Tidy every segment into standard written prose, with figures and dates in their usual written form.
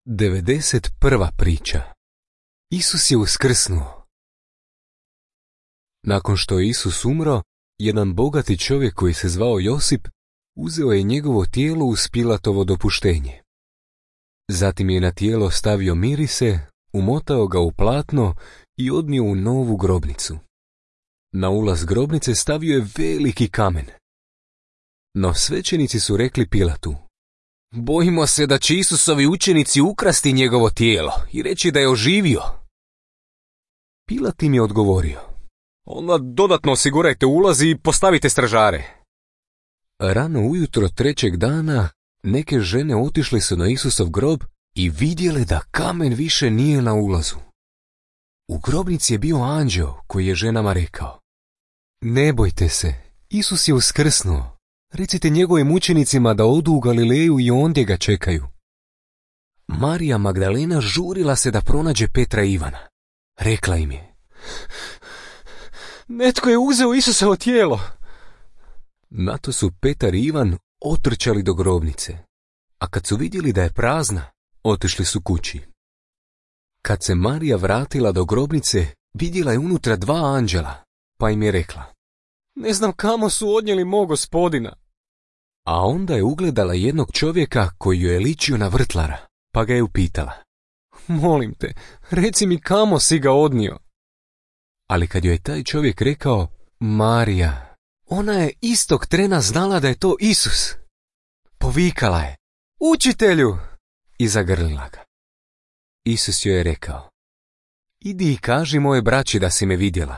91. priča. Isus je uskrsnuo. Nakon što je Isus umro, jedan bogati čovjek koji se zvao Josip uzeo je njegovo tijelo uz Pilatovo dopuštenje. Zatim je na tijelo stavio mirise, umotao ga u platno i odnio u novu grobnicu. Na ulaz grobnice stavio je veliki kamen. No svećenici su rekli Pilatu: "Bojimo se da će Isusovi učenici ukrasti njegovo tijelo i reći da je oživio." Pilat im je odgovorio: "Onda dodatno osigurajte ulaz i postavite stražare." Rano ujutro trećeg dana neke žene otišle su na Isusov grob i vidjele da kamen više nije na ulazu. U grobnici je bio anđeo koji je ženama rekao: "Ne bojte se, Isus je uskrsnuo. Recite njegovim učenicima da odu u Galileju i ondje ga čekaju." Marija Magdalena žurila se da pronađe Petra i Ivana. Rekla im je: "Netko je uzeo Isusovo tijelo." Na to su Petar i Ivan otrčali do grobnice, a kad su vidjeli da je prazna, otišli su kući. Kad se Marija vratila do grobnice, vidjela je unutra 2 anđela, pa im je rekla: "Ne znam kamo su odnijeli mog Gospodina." A onda je ugledala jednog čovjeka koji joj je ličio na vrtlara, pa ga je upitala: "Molim te, reci mi kamo si ga odnio." Ali kad joj je taj čovjek rekao Marija, ona je istog trena znala da je to Isus. Povikala je: "Učitelju!" i zagrlila ga. Isus joj je rekao: "Idi i kaži moje braći da si me vidjela."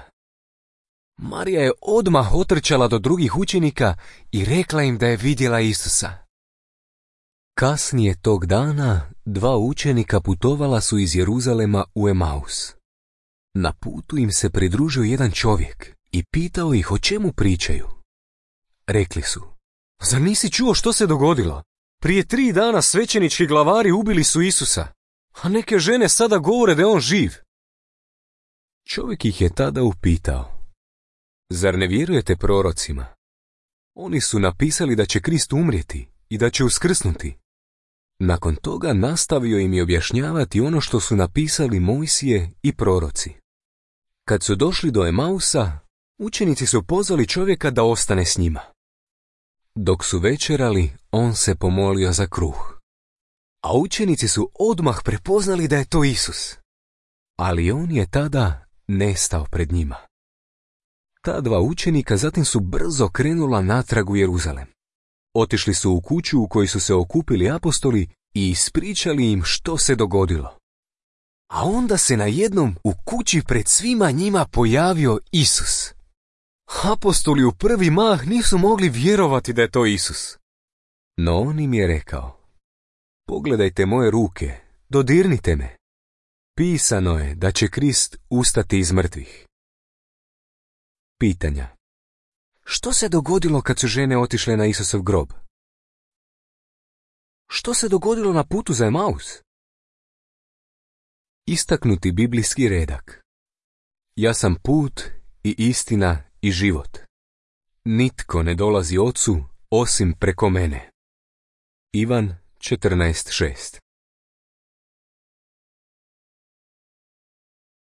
Marija je odmah otrčala do drugih učenika i rekla im da je vidjela Isusa. Kasnije tog dana 2 učenika putovala su iz Jeruzalema u Emaus. Na putu im se pridružio jedan čovjek i pitao ih o čemu pričaju. Rekli su: "Zar nisi čuo što se dogodilo? Prije 3 dana svećenički glavari ubili su Isusa, a neke žene sada govore da je on živ." Čovjek ih je tada upitao: "Zar ne vjerujete prorocima? Oni su napisali da će Krist umrijeti i da će uskrsnuti." Nakon toga nastavio im je objašnjavati ono što su napisali Mojsije i proroci. Kad su došli do Emausa, učenici su pozvali čovjeka da ostane s njima. Dok su večerali, on se pomolio za kruh. A učenici su odmah prepoznali da je to Isus. Ali on je tada nestao pred njima. Ta 2 učenika zatim su brzo krenula natrag u Jeruzalem. Otišli su u kuću u kojoj su se okupili apostoli i ispričali im što se dogodilo. A onda se najednom u kući pred svima njima pojavio Isus. Apostoli u prvi mah nisu mogli vjerovati da je to Isus. No on im je rekao: "Pogledajte moje ruke, dodirnite me. Pisano je da će Krist ustati iz mrtvih." Pitanja. Što se dogodilo kad su žene otišle na Isusov grob? Što se dogodilo na putu za Emaus? Istaknuti biblijski redak. Ja sam put i istina i život. Nitko ne dolazi Ocu osim preko mene. Ivan 14:6.